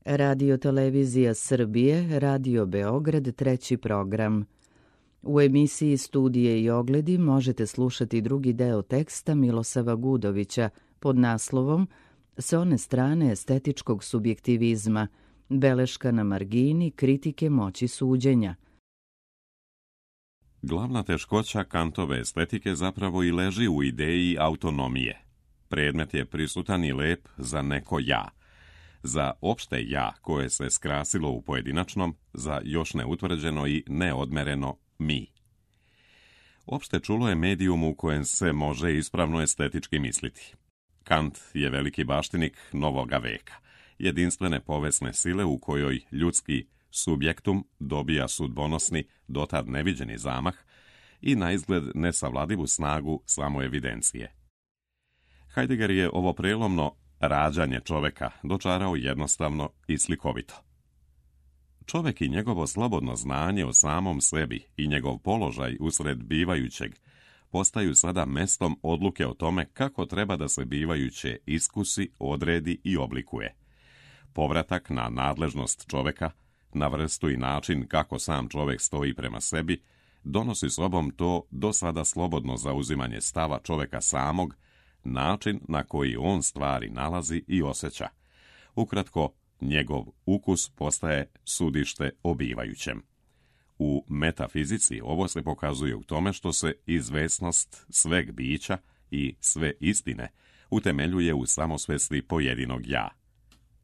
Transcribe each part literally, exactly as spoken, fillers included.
Radio Televizija Srbije, Radio Beograd, treći program. U emisiji Studije i ogledi možete slušati drugi deo teksta Milosava Gudovića pod naslovom S one strane estetičkog subjektivizma, beleška na margini kritike moći suđenja. Glavna teškoća Kantove estetike zapravo i leži u ideji autonomije. Predmet je prisutan i lep za neko ja. Za opšte ja koje se skrasilo u pojedinačnom, za još neutvrđeno i neodmereno mi. Opšte čulo je medijum u kojem se može ispravno estetički misliti. Kant je veliki baštinik novoga veka, jedinstvene povesne sile u kojoj ljudski subjektum dobija sudbonosni, dotad neviđeni zamah i na izgled nesavladivu snagu samoevidencije. Heidegger je ovo prelomno rađanje čoveka dočarao jednostavno i slikovito. Čovek i njegovo slobodno znanje o samom sebi i njegov položaj usred bivajućeg postaju sada mestom odluke o tome kako treba da se bivajuće iskusi, odredi i oblikuje. Povratak na nadležnost čoveka, na vrstu i način kako sam čovek stoji prema sebi, donosi sobom to do sada slobodno zauzimanje stava čoveka samog, način na koji on stvari nalazi i osjeća. Ukratko, njegov ukus postaje sudište o bivajućem. U metafizici ovo se pokazuje u tome što se izvesnost sveg bića i sve istine utemeljuje u samosvesti pojedinog ja.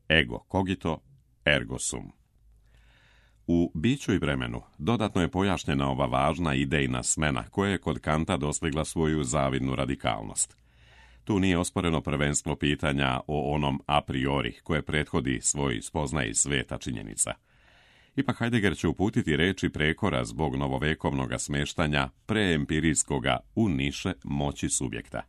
Ego cogito, ergo sum. U biću i vremenu dodatno je pojašnjena ova važna idejna smena koja je kod Kanta dostigla svoju zavidnu radikalnost. Tu nije osporeno prvenstvo pitanja o onom a priori koje prethodi svoj spoznaji sveta činjenica. Ipak Heidegger će uputiti reči prekora zbog novovekovnog smeštanja preempirijskoga u niše moći subjekta.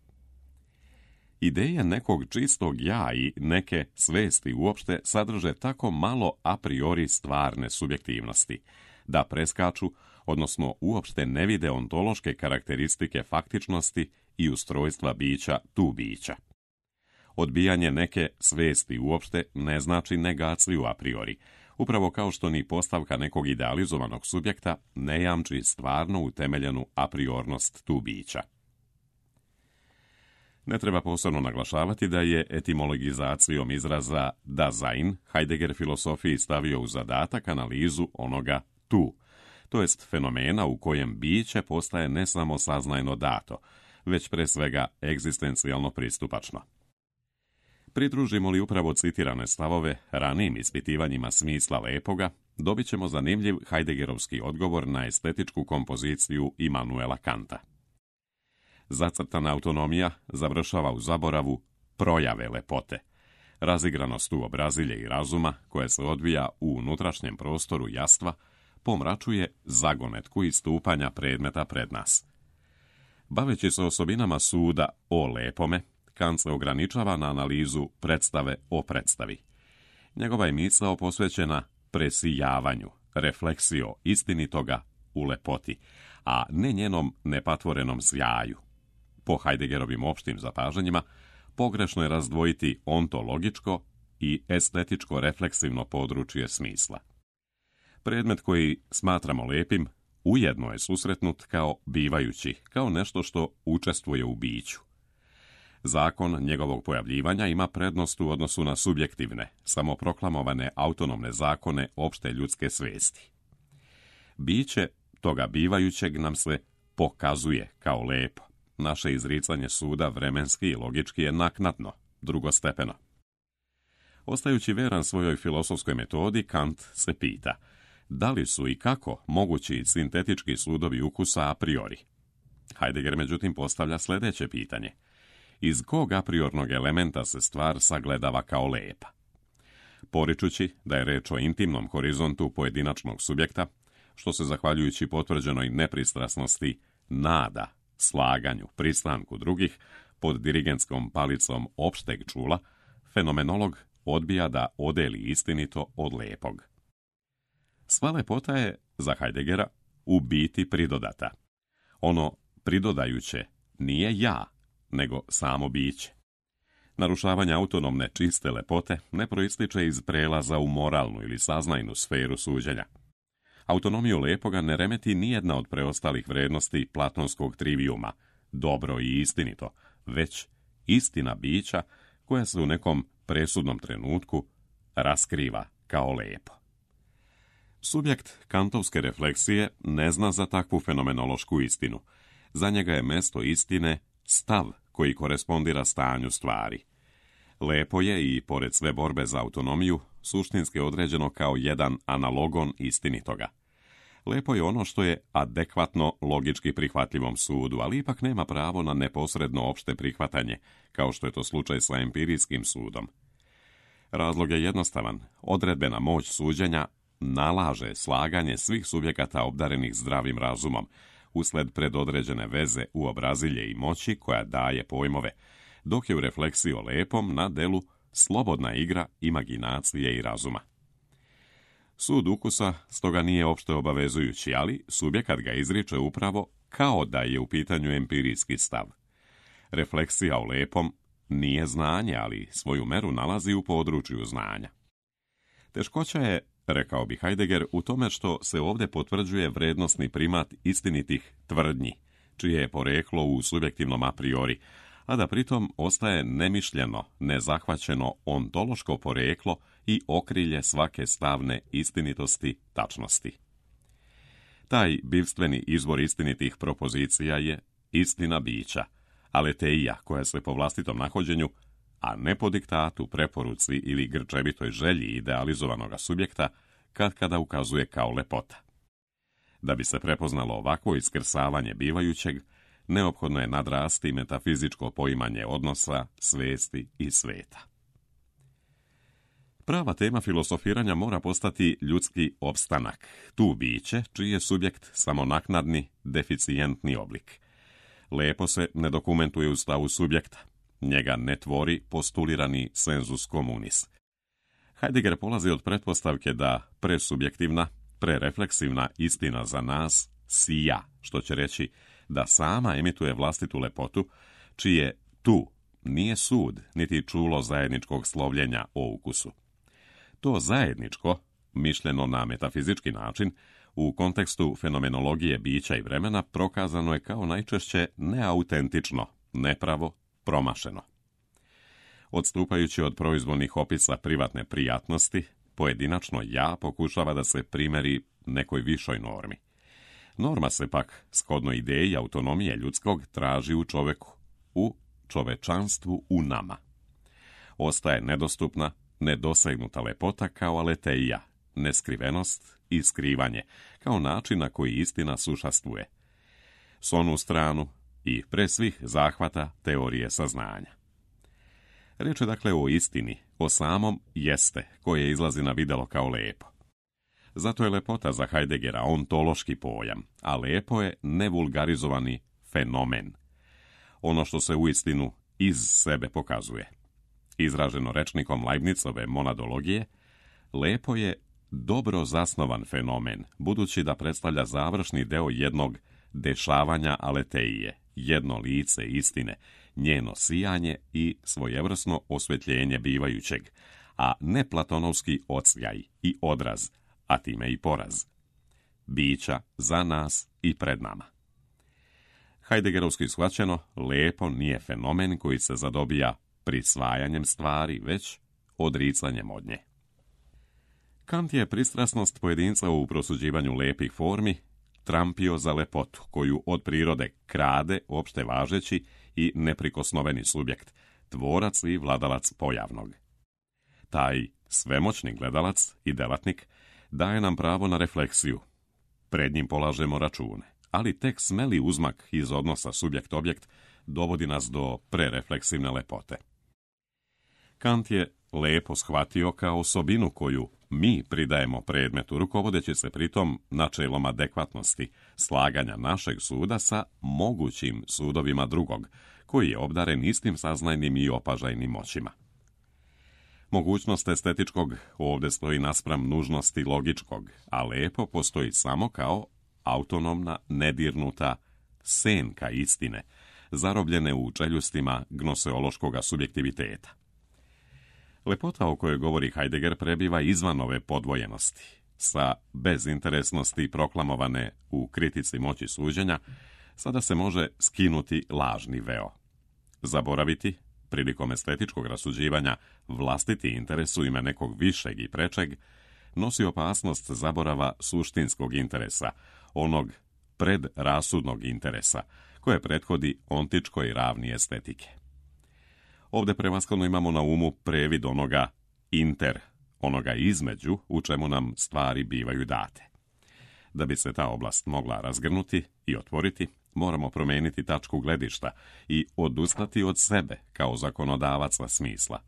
Ideje nekog čistog ja i neke svesti uopšte sadrže tako malo a priori stvarne subjektivnosti, da preskaču, odnosno uopšte ne vide ontološke karakteristike faktičnosti i ustrojstva bića tu bića. Odbijanje neke svesti uopšte ne znači negaciju a priori, upravo kao što ni postavka nekog idealizovanog subjekta ne jamči stvarno utemeljenu a priornost tu bića. Ne treba posebno naglašavati da je etimologizacijom izraza Dasein Heidegger filosofiji stavio u zadatak analizu onoga tu, to jest fenomena u kojem biće postaje ne samo saznajno dato, već pre svega egzistencijalno pristupačno. Pridružimo li upravo citirane stavove ranijim ispitivanjima smisla lepoga, dobit ćemo zanimljiv Heideggerovski odgovor na estetičku kompoziciju Immanuela Kanta. Zacrtana autonomija završava u zaboravu projave lepote, razigranost uobrazilje i razuma koje se odvija u unutrašnjem prostoru jastva, pomračuje zagonetku istupanja predmeta pred nas. Baveći se osobinama suda o lepome, Kant se ograničava na analizu predstave o predstavi. Njegova je misao posvećena presijavanju, refleksio istinitoga u lepoti, a ne njenom nepatvorenom sjaju. Po Heideggerovim opštim zapažanjima, pogrešno je razdvojiti ontologičko i estetičko-refleksivno područje smisla. Predmet koji smatramo lepim ujedno je susretnut kao bivajući, kao nešto što učestvuje u biću. Zakon njegovog pojavljivanja ima prednost u odnosu na subjektivne, samoproklamovane autonomne zakone opšte ljudske svesti. Biće toga bivajućeg nam se pokazuje kao lepo. Naše izricanje suda vremenski i logički je naknadno, drugostepeno. Ostajući veran svojoj filosofskoj metodi, Kant se pita da li su i kako mogući sintetički sudovi ukusa a priori. Heidegger međutim postavlja sljedeće pitanje. Iz kog a priornog elementa se stvar sagledava kao lepa? Poričući da je reč o intimnom horizontu pojedinačnog subjekta, što se zahvaljujući potvrđenoj nepristrasnosti nada, slaganju, pristanku drugih, pod dirigentskom palicom opšteg čula, fenomenolog odbija da odeli istinito od lepog. Sva lepota je, za Heideggera, u biti pridodata. Ono pridodajuće nije ja, nego samo biće. Narušavanje autonomne čiste lepote ne proističe iz prelaza u moralnu ili saznajnu sferu suđenja. Autonomiju lepoga ne remeti nijedna od preostalih vrednosti platonskog trivijuma, dobro i istinito, već istina bića koja se u nekom presudnom trenutku raskriva kao lepo. Subjekt kantovske refleksije ne zna za takvu fenomenološku istinu. Za njega je mesto istine stav koji korespondira stanju stvari. Lepo je i, pored sve borbe za autonomiju, suštinski određeno kao jedan analogon istinitoga. Lepo je ono što je adekvatno logički prihvatljivom sudu, ali ipak nema pravo na neposredno opšte prihvatanje, kao što je to slučaj sa empirijskim sudom. Razlog je jednostavan. Odredbena moć suđenja nalaže slaganje svih subjekata obdarenih zdravim razumom, usled predodređene veze u obrazilje i moći koja daje pojmove, dok je u refleksiji o lepom na delu slobodna igra imaginacije i razuma. Sud ukusa stoga nije opšte obavezujući, ali subjekat ga izriče upravo kao da je u pitanju empirijski stav. Refleksija o lepom nije znanje, ali svoju meru nalazi u području znanja. Teškoća je, rekao bi Heidegger, u tome što se ovdje potvrđuje vrednosni primat istinitih tvrdnji, čije je poreklo u subjektivnom a priori, a da pritom ostaje nemišljeno, nezahvaćeno ontološko poreklo i okrilje svake stavne istinitosti tačnosti. Taj bivstveni izvor istinitih propozicija je istina bića, aleteija koja se po vlastitom nahođenju, a ne po diktatu, preporuci ili grčevitoj želji idealizovanog subjekta, kad kada ukazuje kao lepota. Da bi se prepoznalo ovakvo iskrsavanje bivajućeg, neophodno je nadrasti metafizičko poimanje odnosa, svesti i sveta. Prava tema filosofiranja mora postati ljudski opstanak, tu biće čiji je subjekt samo naknadni, deficijentni oblik. Lepo se ne dokumentuje u stavu subjekta, njega ne tvori postulirani sensus communis. Heidegger polazi od pretpostavke da presubjektivna, prerefleksivna istina za nas sija, što će reći da sama emituje vlastitu lepotu, čije tu nije sud, niti čulo zajedničkog slovljenja o ukusu. To zajedničko, mišljeno na metafizički način, u kontekstu fenomenologije bića i vremena prokazano je kao najčešće neautentično, nepravo, promašeno. Odstupajući od proizvoljnih opisa privatne prijatnosti, pojedinačno ja pokušava da se primeri nekoj višoj normi. Norma se pak, shodno ideji autonomije ljudskog, traži u čoveku, u čovečanstvu u nama. Ostaje nedostupna, nedosegnuta lepota kao aleteija, neskrivenost i skrivanje, kao način na koji istina sušastvuje. S onu stranu i pre svih zahvata teorije saznanja. Riječ je dakle o istini, o samom jeste, koje izlazi na videlo kao lepo. Zato je lepota za Heideggera ontološki pojam, a lepo je nevulgarizovani fenomen. Ono što se uistinu iz sebe pokazuje. Izraženo rečnikom Leibnizove monadologije, lepo je dobro zasnovan fenomen, budući da predstavlja završni deo jednog dešavanja aleteije, jedno lice istine, njeno sijanje i svojevrsno osvjetljenje bivajućeg, a ne platonovski odsjaj i odraz, a time i poraz. Bića za nas i pred nama. Heideggerovski shvaćeno, lepo nije fenomen koji se zadobija prisvajanjem stvari, već odricanjem od nje. Kant je pristrasnost pojedinca u prosuđivanju lepih formi trampio za lepotu, koju od prirode krade opšte važeći i neprikosnoveni subjekt, tvorac i vladalac pojavnog. Taj svemoćni gledalac i delatnik daje nam pravo na refleksiju. Pred njim polažemo račune, ali tek smeli uzmak iz odnosa subjekt-objekt dovodi nas do prerefleksivne lepote. Kant je lepo shvatio kao osobinu koju mi pridajemo predmetu, rukovodeći se pritom načelom adekvatnosti, slaganja našeg suda sa mogućim sudovima drugog, koji je obdaren istim saznajnim i opažajnim moćima. Mogućnost estetičkog ovdje stoji naspram nužnosti logičkog, a lepo postoji samo kao autonomna, nedirnuta senka istine, zarobljene u čeljustima gnoseološkoga subjektiviteta. Lepota o kojoj govori Heidegger prebiva izvan ove podvojenosti. Sa bezinteresnosti proklamovane u kritici moći suđenja, sada se može skinuti lažni veo. Zaboraviti, prilikom estetičkog rasuđivanja, vlastiti interes u ime nekog višeg i prečeg, nosi opasnost zaborava suštinskog interesa, onog predrasudnog interesa, koje prethodi ontičkoj ravni estetike. Ovdje prevashodno imamo na umu previd onoga inter, onoga između u čemu nam stvari bivaju date. Da bi se ta oblast mogla razgrnuti i otvoriti, moramo promijeniti tačku gledišta i odustati od sebe kao zakonodavaca smisla.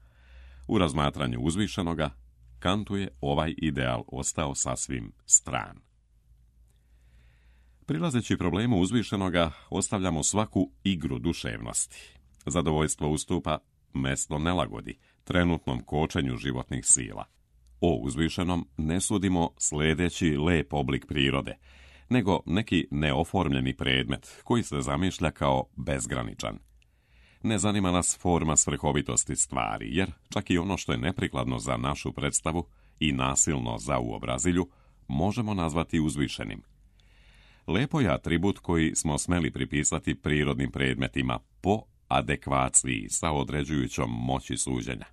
U razmatranju uzvišenoga, Kantu je ovaj ideal ostao sasvim stran. Prilazeći problemu uzvišenoga, ostavljamo svaku igru duševnosti. Zadovoljstvo ustupa mesto nelagodi, trenutnom kočenju životnih sila. O uzvišenom ne sudimo sljedeći lep oblik prirode, nego neki neoformljeni predmet koji se zamišlja kao bezgraničan. Ne zanima nas forma svrhovitosti stvari, jer čak i ono što je neprikladno za našu predstavu i nasilno za uobrazilju, možemo nazvati uzvišenim. Lepo je atribut koji smo smeli pripisati prirodnim predmetima po adekvaciji sa određujućom moći suđenja.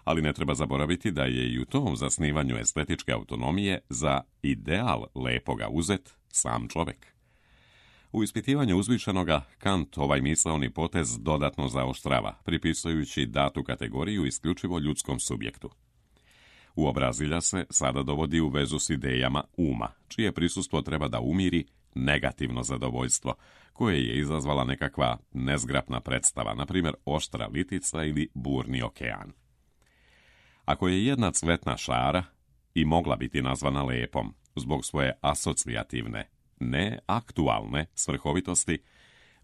Ali ne treba zaboraviti da je i u tom zasnivanju estetičke autonomije za ideal lepoga uzet sam čovjek. U ispitivanju uzvišenoga, Kant ovaj misaoni potez dodatno zaoštrava, pripisujući datu kategoriju isključivo ljudskom subjektu. Uobrazilja se sada dovodi u vezu s idejama uma, čije prisustvo treba da umiri negativno zadovoljstvo, koje je izazvala nekakva nezgrapna predstava, na primjer oštra litica ili burni okean. Ako je jedna cvetna šara i mogla biti nazvana lepom zbog svoje asocijativne, ne aktualne svrhovitosti,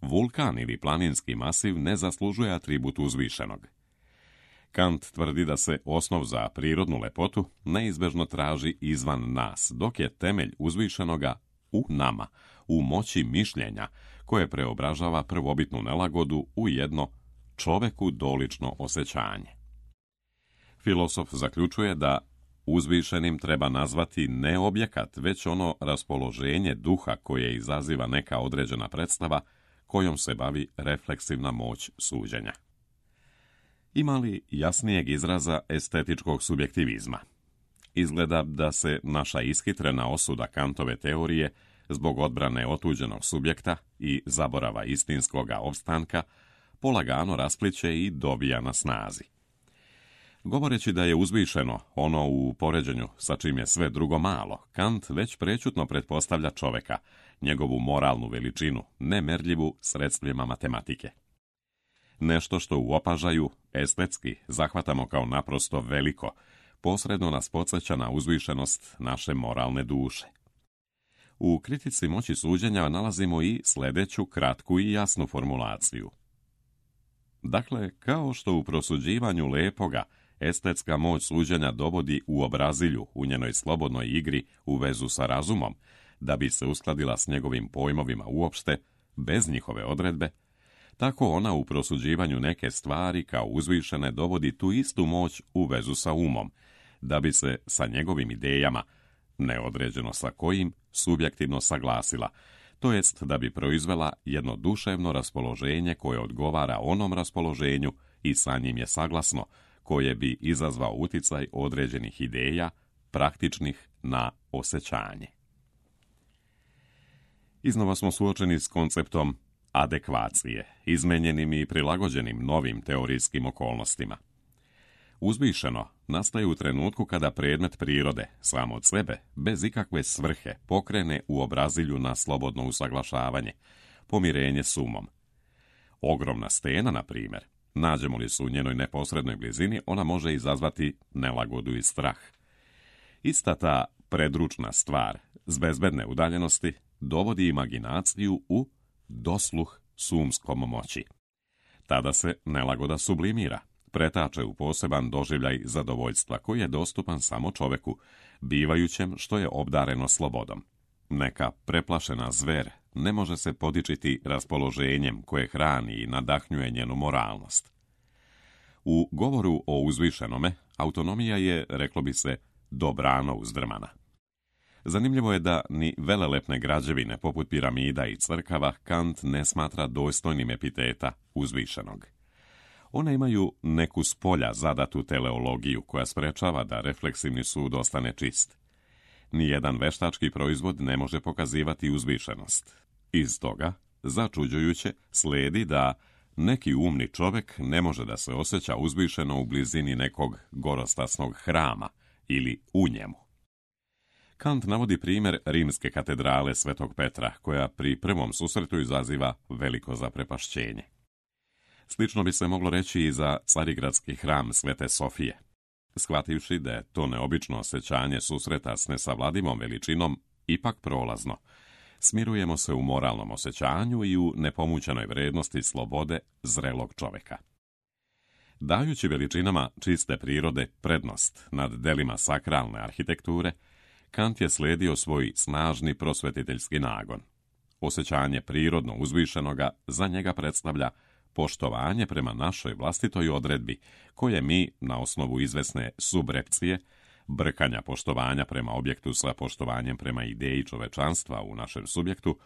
vulkan ili planinski masiv ne zaslužuje atribut uzvišenog. Kant tvrdi da se osnov za prirodnu lepotu neizbežno traži izvan nas, dok je temelj uzvišenoga u nama, u moći mišljenja, koje preobražava prvobitnu nelagodu u jedno čoveku dolično osjećanje. Filosof zaključuje da uzvišenim treba nazvati ne objekat, već ono raspoloženje duha koje izaziva neka određena predstava kojom se bavi refleksivna moć suđenja. Ima li jasnijeg izraza estetičkog subjektivizma? Izgleda da se naša ishitrena osuda Kantove teorije zbog odbrane otuđenog subjekta i zaborava istinskoga opstanka polagano raspliće i dobija na snazi. Govoreći da je uzvišeno ono u poređenju sa čim je sve drugo malo, Kant već prečutno pretpostavlja čoveka, njegovu moralnu veličinu, nemerljivu sredstvima matematike. Nešto što u opažaju estetski zahvatamo kao naprosto veliko, posredno nas podsjeća na uzvišenost naše moralne duše. U kritici moći suđenja nalazimo i sljedeću kratku i jasnu formulaciju. Dakle, kao što u prosuđivanju lepoga estetska moć suđenja dovodi u obrazilju u njenoj slobodnoj igri u vezu sa razumom, da bi se uskladila s njegovim pojmovima uopšte, bez njihove odredbe, tako ona u prosuđivanju neke stvari kao uzvišene dovodi tu istu moć u vezu sa umom, da bi se sa njegovim idejama, neodređeno sa kojim, subjektivno saglasila, to jest da bi proizvela jedno duševno raspoloženje koje odgovara onom raspoloženju i sa njim je saglasno, koje bi izazvao uticaj određenih ideja, praktičnih na osjećanje. Iznova smo suočeni s konceptom adekvacije, izmenjenim i prilagođenim novim teorijskim okolnostima. Uzvišeno nastaje u trenutku kada predmet prirode, sam od sebe, bez ikakve svrhe, pokrene u obrazilju na slobodno usaglašavanje, pomirenje s umom. Ogromna stena, na primjer, nađemo li se u njenoj neposrednoj blizini, ona može izazvati nelagodu i strah. Ista ta predručna stvar, s bezbedne udaljenosti, dovodi imaginaciju u dosluh s umskom moći. Tada se nelagoda sublimira, pretače u poseban doživljaj zadovoljstva koji je dostupan samo čoveku, bivajućem što je obdareno slobodom. Neka preplašena zver ne može se podičiti raspoloženjem koje hrani i nadahnjuje njenu moralnost. U govoru o uzvišenome, autonomija je, reklo bi se, dobrano uzdrmana. Zanimljivo je da ni velelepne građevine poput piramida i crkava Kant ne smatra dostojnim epiteta uzvišenog. One imaju neku spolja zadatu teleologiju koja sprečava da refleksivni sud ostane čist. Nijedan veštački proizvod ne može pokazivati uzvišenost. Iz toga, začuđujuće, sledi da neki umni čovjek ne može da se osjeća uzvišeno u blizini nekog gorostasnog hrama ili u njemu. Kant navodi primjer rimske katedrale Svetog Petra, koja pri prvom susretu izaziva veliko zaprepašćenje. Slično bi se moglo reći i za carigradski hram Svete Sofije. Shvativši da je to neobično osjećanje susreta s nesavladivom veličinom ipak prolazno, smirujemo se u moralnom osjećanju i u nepomućenoj vrednosti slobode zrelog čovjeka. Dajući veličinama čiste prirode prednost nad delima sakralne arhitekture, Kant je slijedio svoj snažni prosvetiteljski nagon. Osjećanje prirodno uzvišenoga za njega predstavlja poštovanje prema našoj vlastitoj odredbi, koje mi, na osnovu izvesne subrepcije, brkanja poštovanja prema objektu sa poštovanjem prema ideji čovečanstva u našem subjektu,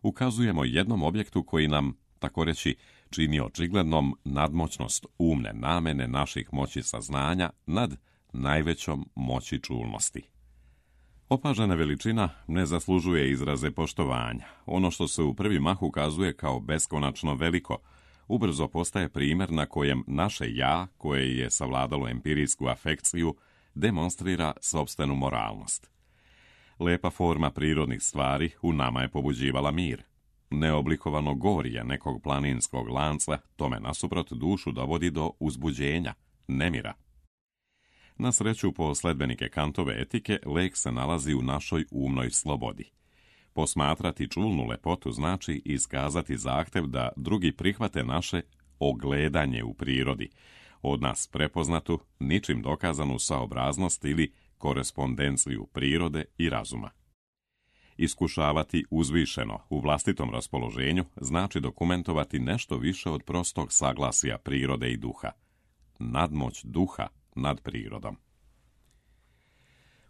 ukazujemo jednom objektu koji nam, tako reći, čini očiglednom nadmoćnost umne namene naših moći saznanja nad najvećom moći čulnosti. Opažena veličina ne zaslužuje izraze poštovanja. Ono što se u prvi mah ukazuje kao beskonačno veliko, ubrzo postaje primjer na kojem naše ja, koje je savladalo empirijsku afekciju, demonstrira sopstvenu moralnost. Lepa forma prirodnih stvari u nama je pobuđivala mir. Neoblikovano gorje nekog planinskog lanca tome nasuprot dušu dovodi do uzbuđenja, nemira. Na sreću po sledbenike Kantove etike, lek se nalazi u našoj umnoj slobodi. Posmatrati čulnu lepotu znači iskazati zahtev da drugi prihvate naše ogledanje u prirodi, od nas prepoznatu, ničim dokazanu saobraznost ili korespondenciju prirode i razuma. Iskušavati uzvišeno u vlastitom raspoloženju znači dokumentovati nešto više od prostog saglasja prirode i duha. Nadmoć duha nad prirodom.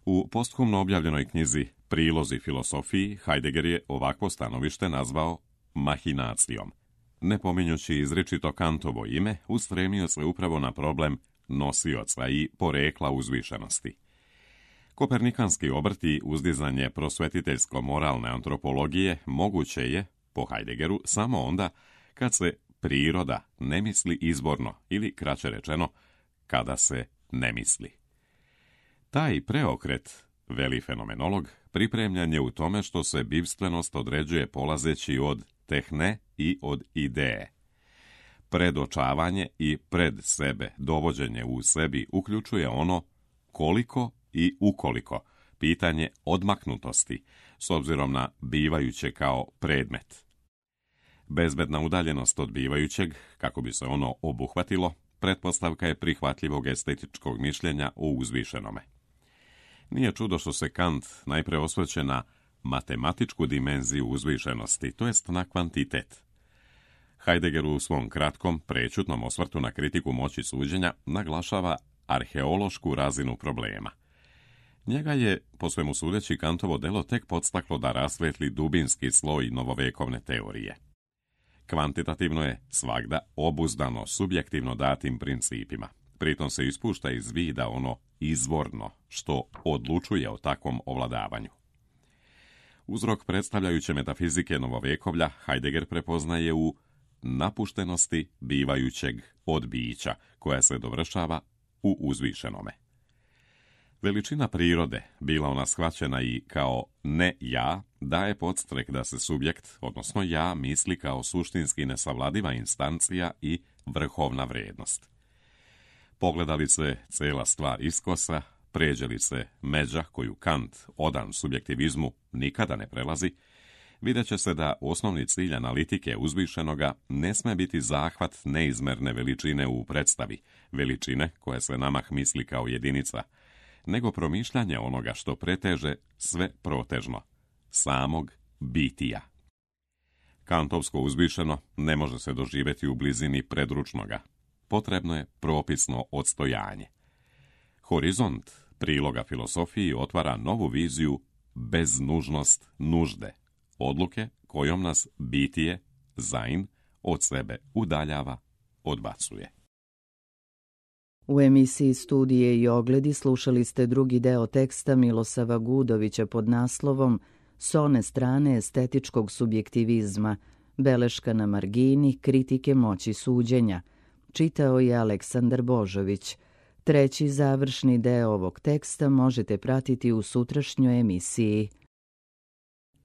U posthumno objavljenoj knjizi Prilozi filosofiji Heidegger je ovakvo stanovište nazvao mahinacijom. Ne pominjući izričito Kantovo ime, ustremio se upravo na problem nosioca i porekla uzvišenosti. Kopernikanski obrt i uzdizanje prosvetiteljsko-moralne antropologije moguće je, po Heideggeru, samo onda kad se priroda ne misli izborno ili, kraće rečeno, kada se ne misli. Taj preokret, veli fenomenolog, pripremljen je u tome što se bivstvenost određuje polazeći od tehne i od ideje. Predočavanje i pred sebe dovođenje u sebi uključuje ono koliko i ukoliko, pitanje odmaknutosti, s obzirom na bivajuće kao predmet. Bezbedna udaljenost od bivajućeg, kako bi se ono obuhvatilo, pretpostavka je prihvatljivog estetičkog mišljenja o uzvišenome. Nije čudo što se Kant najpre osvrće na matematičku dimenziju uzvišenosti, to jest na kvantitet. Heidegger u svom kratkom, prečutnom osvrtu na kritiku moći suđenja naglašava arheološku razinu problema. Njega je, po svemu sudeći, Kantovo delo tek podstaklo da rasvetli dubinski sloj novovekovne teorije. Kvantitativno je svagda obuzdano subjektivno datim principima. Pritom se ispušta iz vida ono izvorno, što odlučuje o takvom ovladavanju. Uzrok predstavljajuće metafizike novovekovlja Heidegger prepoznaje u napuštenosti bivajućeg od bića, koja se dovršava u uzvišenome. Veličina prirode, bila ona shvaćena i kao ne ja, daje podstrek da se subjekt, odnosno ja, misli kao suštinski nesavladiva instancija i vrhovna vrijednost. Pogleda li se cela stvar iskosa, pređe li se međa koju Kant, odan subjektivizmu, nikada ne prelazi, vidjet će se da osnovni cilj analitike uzvišenoga ne sme biti zahvat neizmerne veličine u predstavi, veličine koja se namah misli kao jedinica, nego promišljanje onoga što preteže sve protežno, samog bitija. Kantovsko uzvišeno ne može se doživjeti u blizini predručnoga. Potrebno je propisno odstojanje. Horizont priloga filosofiji otvara novu viziju bez nužnost nužde, odluke kojom nas bitije, zain, od sebe udaljava, odbacuje. U emisiji Studije i ogledi slušali ste drugi deo teksta Milosava Gudovića pod naslovom S one strane estetičkog subjektivizma, beleška na margini kritike moći suđenja. Čitao je Aleksandar Božović. Treći završni deo ovog teksta možete pratiti u sutrašnjoj emisiji.